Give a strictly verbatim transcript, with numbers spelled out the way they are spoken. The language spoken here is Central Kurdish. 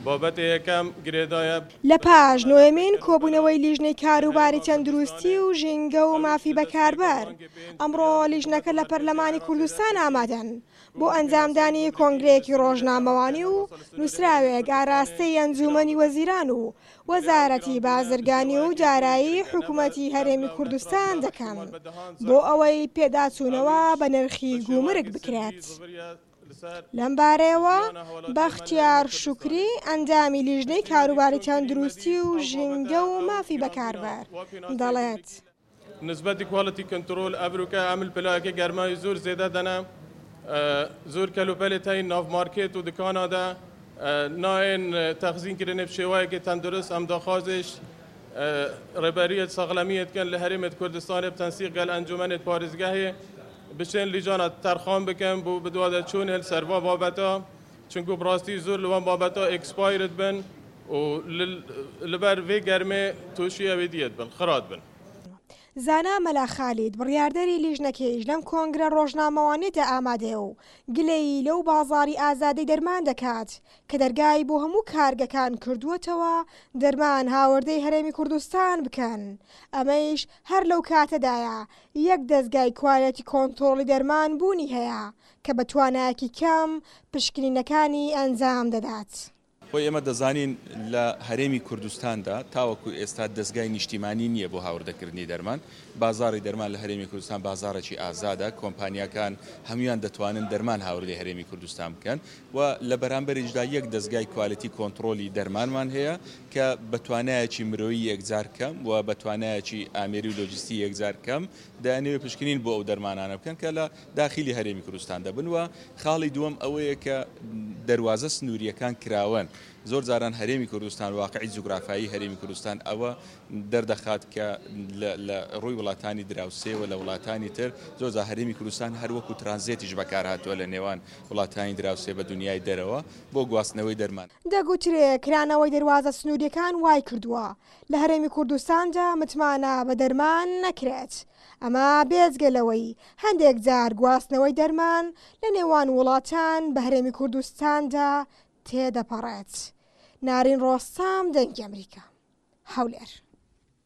بابەتی یەکەم گرێدایە. لە پاش نۆیەمین کۆبوونەوەی لیژنەی کاروباری تەندروستی و ژینگە و مافی بەکاربەر، ئەمڕۆ لیژنەکە لە پەرلەمانی کوردستان ئامادەن بۆ ئەنجامدانی کۆنگرەیەکی ڕۆژنامەوانی و نووسراوێک ئاراستەی ئەنجومەنی وەزیران و وەزارەتی بازرگانی و دارایی حکوومەتی هەرێمی کوردستان دەکەن بۆ ئەوەی پێداچوونەوە بە نرخی گومرگ بکرێت. لەم بارەیەوە بەختیار شوکری ئەندامی لیژنەی کاروباری تەندروستی و ژینگە و مافی بەکاربەر دەڵێت: نسبەتی quality control ئەڤروکە ئەمل پلایەکە گەرمای زۆر زێدە دەنە، زۆر کەلوپەلێ تەین ناو مارکێت و دکانادا نایەن تەخزین کردن بشێوەیەکی تەندروست. ئەم داخوازش ڕێبەریەت ساغلەمیەت کەن لە هەرێمت کوردستان بتەنسیق گەل ئەنجومەنت پارێزگاهێ بچێن لیژانە تەرخان بکەن بۆ بدوادە چوون هەل سەروا بابەتە، چونکو بڕاستی زۆر لەوان بابەتە expired بن و لەبەر وێ گەرمێ تووشی ئەوێ دیەت بن خرات بن. زانا مەلا خالید بڕیاردەری لیژنەکەیش لەم کۆنگرە ڕۆژنامەوانیدا ئامادەیە و گلەیی لەو بازاری ئازادەی دەرمان دەکات کە دەرگای بۆ هەموو کارگەکان کردووەتەوە دەرمان هاوردەی هەرێمی کوردستان بکەن. ئەمەیش هەر لەو کاتەدایە یەک دەستگای quality control ی دەرمان بوونی هەیە کە بە توانایەکی کەم پشکنینەکانی ئەنجام دەدات. خۆی ئێمە دەزانین لە هەرێمی کوردستاندا تاوەکو ئێستا دەستگای نیشتیمانی نییە بۆ هاوردەکردنی دەرمان. بازاری دەرمان لە هەرێمی کوردستان بازارێکی ئازادە، کۆمپانیاکان هەمویان دەتوانن دەرمان هاوردەی هەرێمی کوردستان بکەن و لە بەرامبەریشدا یەک دەستگای quality control ی دەرمانمان هەیە کە بە توانایەکی مرۆیی یەکجار کەم و بە توانایەکی ئامێری و لۆجستی یەکجار کەم دەیانەوێت پشکنین بۆ ئەو دەرمانانە بکەن کە لە داخلی هەرێمی کوردستان دەبن. و خاڵی دووەم ئەوەیە کە دەروازە سنووریەکان کراون. زۆر جاران هەرێمی کوردستان واقعی جوگرافایی هەرێمی کوردستان ئەوە دەردەخات کە لە ڕووی وڵاتانی دراوسێ و لە وڵاتانی تر زۆر جار هەرێمی کوردستان هەر وەکو ترانزێتیش بەکار هاتووە لە نێوان وڵاتانی دراوسێ بە دنیای دەرەوە بۆ گواستنەوەی دەرمان. دەگوترێ کرانەوەی دەروازە سنووریەکان وای کردووە لە هەرێمی کوردستاندا متمانە بە دەرمان نەکرێت. ئەمە بێجگە لەوەی هەندێک جار گواستنەوەی دەرمان لە نێوان وڵاتان بە هەرێمی کوردستاندا تێدەپەڕێت. نارین ڕۆستام، دەنگی ئەمریکا، هەولێر.